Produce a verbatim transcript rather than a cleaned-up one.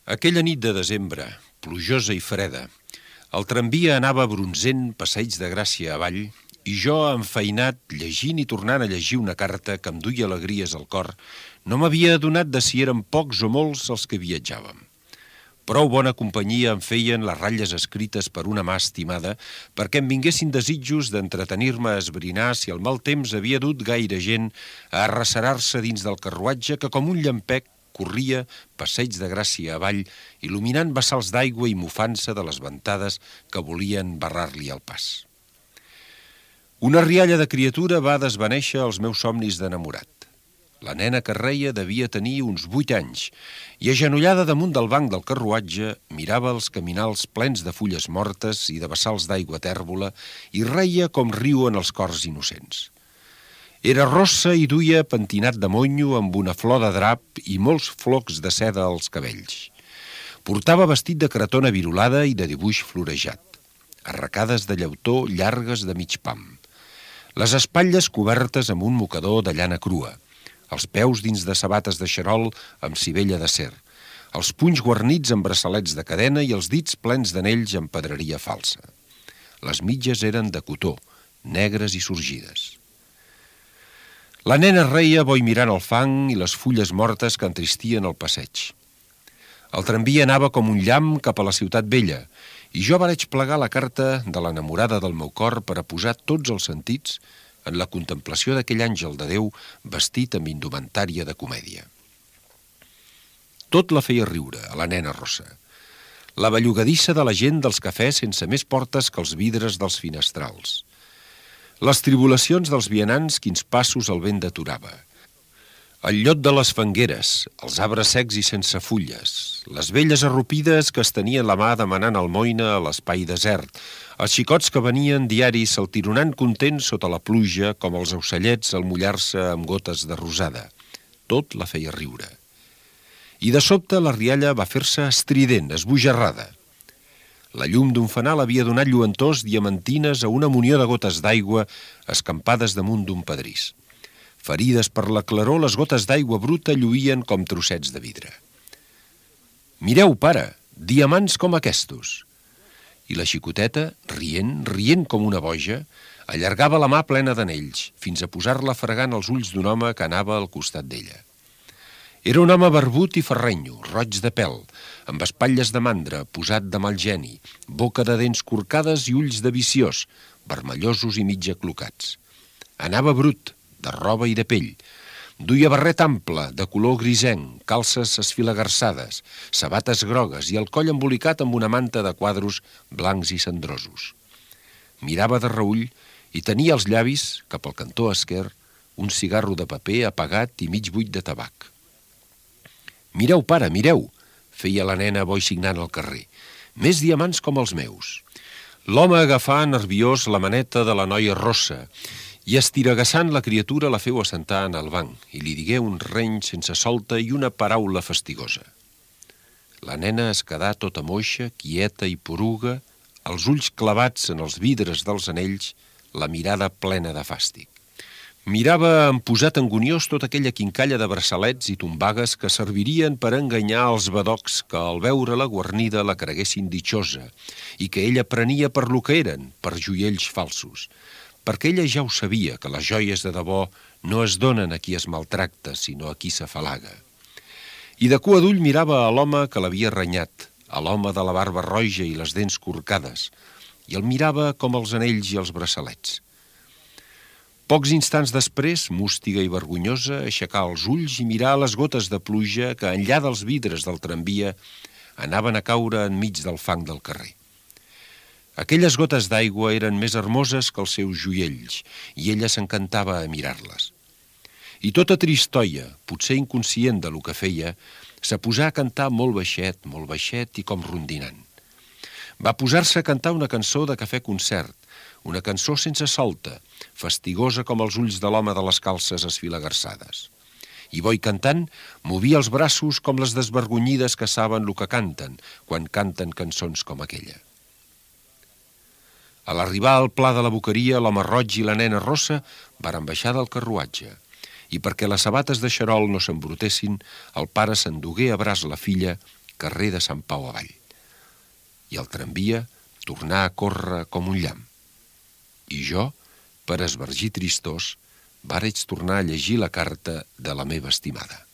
Aquella nit de desembre, plujosa i freda, el tramvia anava bronzent passeig de Gràcia avall i jo, enfeinat, llegint i tornant a llegir una carta que em duia alegries al cor, no m'havia adonat de si eren pocs o molts els que viatjàvem. Prou bona companyia em feien les ratlles escrites per una mà estimada perquè em vinguessin desitjos d'entretenir-me a esbrinar si el mal temps havia dut gaire gent a arrecerar-se dins del carruatge que com un llampec corria passeig de Gràcia avall, il·luminant bassals d'aigua i mofant-se de les ventades que volien barrar-li el pas. Una rialla de criatura va desvanèixer els meus somnis d'enamorat. La nena que reia devia tenir uns vuit anys i, agenollada damunt del banc del carruatge, mirava els caminals plens de fulles mortes i de bassals d'aigua tèrbola i reia com riuen els cors innocents. Era rossa i duia pentinat de monyo amb una flor de drap i molts flocs de seda als cabells. Portava vestit de cretona virolada i de dibuix florejat, arracades de llautó llargues de mig pam, les espatlles cobertes amb un mocador de llana crua, els peus dins de sabates de xarol amb civella d'acer, els punys guarnits amb braçalets de cadena i els dits plens d'anells amb pedreria falsa. Les mitges eren de cotó, negres i sorgides. La nena reia boi mirant el fang i les fulles mortes que entristien el passeig. El tramvia anava com un llamp cap a la ciutat vella i jo vaig plegar la carta de l'enamorada del meu cor per a posar tots els sentits en la contemplació d'aquell àngel de Déu vestit amb indumentària de comèdia. Tot la feia riure, a la nena rossa. La bellugadissa de la gent dels cafès sense més portes que els vidres dels finestrals. Les tribulacions dels vianants quins passos el vent deturava. El llot de les fangueres, els arbres secs i sense fulles, les velles arrupides que es tenien la mà demanant almoina a l'espai desert, els xicots que venien diaris saltironant contents sota la pluja com els ocellets al mullar-se amb gotes de rosada. Tot la feia riure. I de sobte la rialla va fer-se estrident, esbojarrada. La llum d'un fanal havia donat lluentors diamantines a una munió de gotes d'aigua escampades damunt d'un pedrís. Ferides per la claror, les gotes d'aigua bruta lluïen com trossets de vidre. «Mireu, pare, diamants com aquestos!» I la xicoteta, rient, rient com una boja, allargava la mà plena d'anells, fins a posar-la fregant els ulls d'un home que anava al costat d'ella. Era un home barbut i ferrenyo, roig de pèl, amb espatlles de mandra, posat de mal geni, boca de dents corcades i ulls de viciós, vermellosos i mig aclocats. Anava brut, de roba i de pell. Duia barret ample, de color grisenc, calces esfilagarçades, sabates grogues i el coll embolicat amb una manta de quadros blancs i cendrosos. Mirava de reüll i tenia als llavis, cap al cantó esquerr, un cigarro de paper apagat i mig buit de tabac. «Mireu, pare, mireu!» feia la nena boixignant al carrer. «Més diamants com els meus!» L'home agafà nerviós la maneta de la noia rossa i estiragassant la criatura la feu assentar en el banc i li digué un reny sense solta i una paraula fastigosa. La nena es quedà tota moixa, quieta i poruga, els ulls clavats en els vidres dels anells, la mirada plena de fàstic. Mirava amb posat anguniós tota aquella quincalla de braçalets i tombagues que servirien per enganyar els badocs que al veure-la guarnida la creguessin ditxosa i que ella prenia per lo que eren, per joiells falsos, perquè ella ja ho sabia que les joies de debò no es donen a qui es maltracta, sinó a qui s'afalaga. I de cua d'ull mirava a l'home que l'havia renyat, a l'home de la barba roja i les dents corcades, i el mirava com els anells i els braçalets. Pocs instants després, mústiga i vergonyosa, aixecà els ulls i mirà les gotes de pluja que, enllà dels vidres del tramvia, anaven a caure enmig del fang del carrer. Aquelles gotes d'aigua eren més hermoses que els seus joiells i ella s'encantava a mirar-les. I tota tristoia, potser inconscient de lo que feia, s'aposà a cantar molt baixet, molt baixet i com rondinant. Va posar-se a cantar una cançó de cafè-concert, una cançó sense solta, fastigosa com els ulls de l'home de les calces esfilagarçades. I boi cantant, movia els braços com les desvergonyides que saben lo que canten quan canten cançons com aquella. A l'arribar al pla de la boqueria, l'home roig i la nena rossa varen baixar del carruatge i perquè les sabates de xarol no s'embrutessin, el pare s'endugué a braç la filla carrer de Sant Pau avall. I el tramvia tornà a córrer com un llamp. I jo, per esbargir tristós, vaig tornar a llegir la carta de la meva estimada.